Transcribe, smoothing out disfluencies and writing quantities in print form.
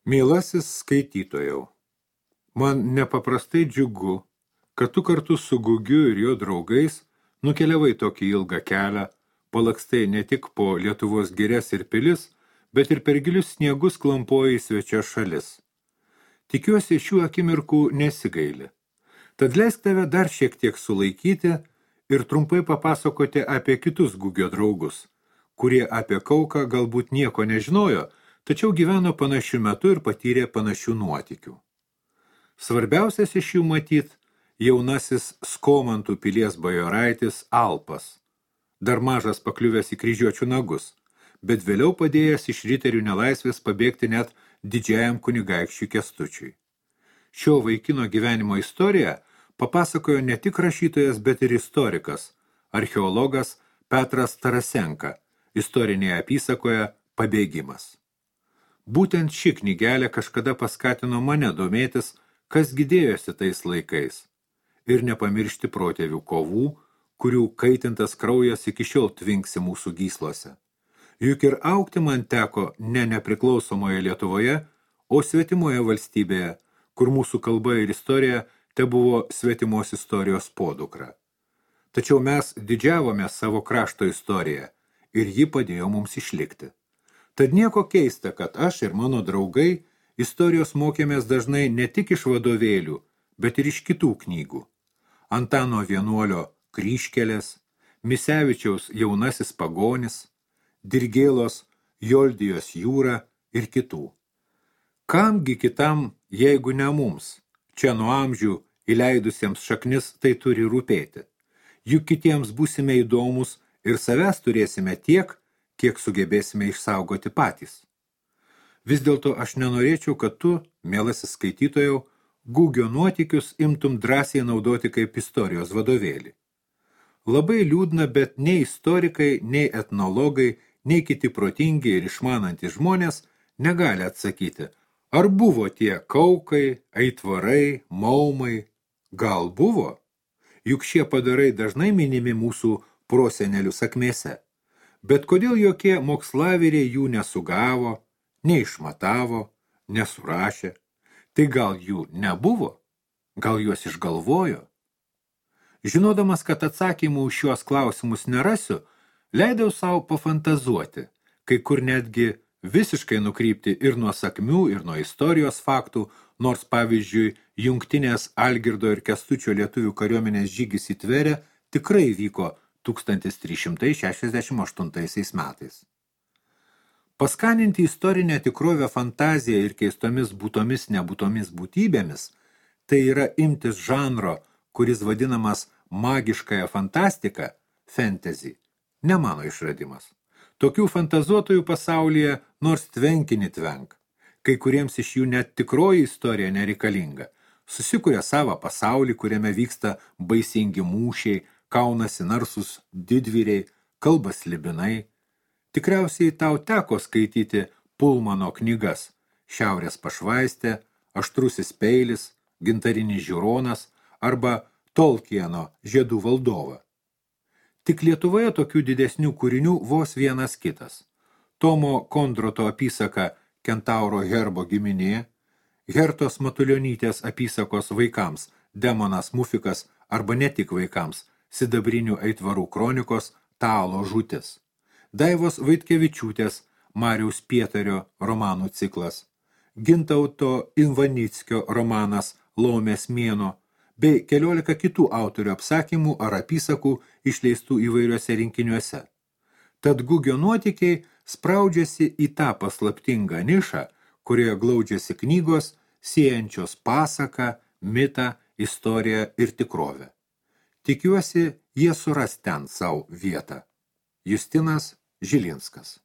Mielasis skaitytojau, man nepaprastai džiugu, kad tu kartu su Gugiu ir jo draugais nukeliavai tokį ilgą kelią, palakstai ne tik po Lietuvos girias ir pilis, bet ir per gilius sniegus klampoja į svečias šalis. Tikiuosi, šių akimirkų nesigaili. Tad leisk tave dar šiek tiek sulaikyti ir trumpai papasakoti apie kitus Gugio draugus, kurie apie Kauką galbūt nieko nežinojo, tačiau gyveno panašiu metu ir patyrė panašių nuotykių. Svarbiausias iš jų matyt jaunasis Skomantų pilies bajoraitis Alpas, dar mažas pakliuvęs į kryžiuočių nagus, bet vėliau padėjęs iš riterių nelaisvės pabėgti net didžiajam kunigaikščiui Kęstučiui. Šio vaikino gyvenimo istoriją papasakojo ne tik rašytojas, bet ir istorikas, archeologas Petras Tarasenka, istorinėje apysakoje Pabėgimas. Būtent ši knygelė kažkada paskatino mane domėtis, kas gidėjosi tais laikais, ir nepamiršti protėvių kovų, kurių kaitintas kraujas iki šiol tvinksi mūsų gyslose. Juk ir augti man teko ne nepriklausomoje Lietuvoje, o svetimoje valstybėje, kur mūsų kalba ir istorija tebuvo svetimos istorijos podukra. Tačiau mes didžiavome savo krašto istoriją ir ji padėjo mums išlikti. Tad nieko keista, kad aš ir mano draugai istorijos mokėmės dažnai ne tik iš vadovėlių, bet ir iš kitų knygų. Antano Vienuolio Kryžkelės, Misevičiaus Jaunasis pagonis, Dirgėlos Joldijos jūra ir kitų. Kamgi kitam, jeigu ne mums, čia nuo amžių įleidusiems šaknis tai turi rūpėti. Juk kitiems būsime įdomus ir savęs turėsime tiek, kiek sugebėsime išsaugoti patys. Vis dėlto aš nenorėčiau, kad tu, mielasis skaitytojau, Gugio nuotykius imtum drąsiai naudoti kaip istorijos vadovėlį. Labai liūdna, bet nei istorikai, nei etnologai, nei kiti protingi ir išmanantys žmonės negali atsakyti, ar buvo tie Kaukai, Aitvarai, Maumai. Gal buvo? Juk šie padarai dažnai minimi mūsų prosenelių sakmėse. Bet kodėl jokie mokslaviriai jų nesugavo, neišmatavo, nesurašė? Tai gal jų nebuvo? Gal juos išgalvojo? Žinodamas, kad atsakymų už šiuos klausimus nerasiu, leidau savo pafantazuoti, kai kur netgi visiškai nukrypti ir nuo sakmių, ir nuo istorijos faktų, nors pavyzdžiui, jungtinės Algirdo ir Kęstučio lietuvių kariuomenės žygis į Tverę tikrai vyko 1368 metais. Paskaninti istorinę tikrovę fantaziją ir keistomis būtomis nebūtomis būtybėmis, tai yra imtis žanro, kuris vadinamas magiškąją fantastiką, fantasy, ne mano išradimas. Tokių fantazuotojų pasaulyje nors tvenkinį tvenk. Kai kuriems iš jų net tikroji istorija nereikalinga. Susikuria savo pasaulį, kuriame vyksta baisingi mūšiai, kaunasi narsus didvyriai, kalba slibinai. Tikriausiai tau teko skaityti Pulmano knygas Šiaurės pašvaistė, Aštrusis peilis, Gintarinis žiūronas arba Tolkieno Žiedų valdovą. Tik Lietuvoje tokių didesnių kūrinių vos vienas kitas. Tomo Kondroto apysaka Kentauro herbo giminė, Hertos Matulionytės apysakos vaikams Demonas Mufikas arba ne tik vaikams Sidabrinių aitvarų kronikos Talo žūtis, Daivos Vaitkevičiūtės Mariaus Pietario romanų ciklas, Gintauto Invanickio romanas Laumės mėnuo, bei 14 kitų autorių apsakymų ar apysakų išleistų įvairiuose rinkiniuose. Tad Gugio nuotykiai spraudžiasi į tą paslaptingą nišą, kurioje glaudžiasi knygos, siejančios pasaką, mitą, istoriją ir tikrovę. Tikiuosi, jie suras ten savo vietą. Justinas Žilinskas.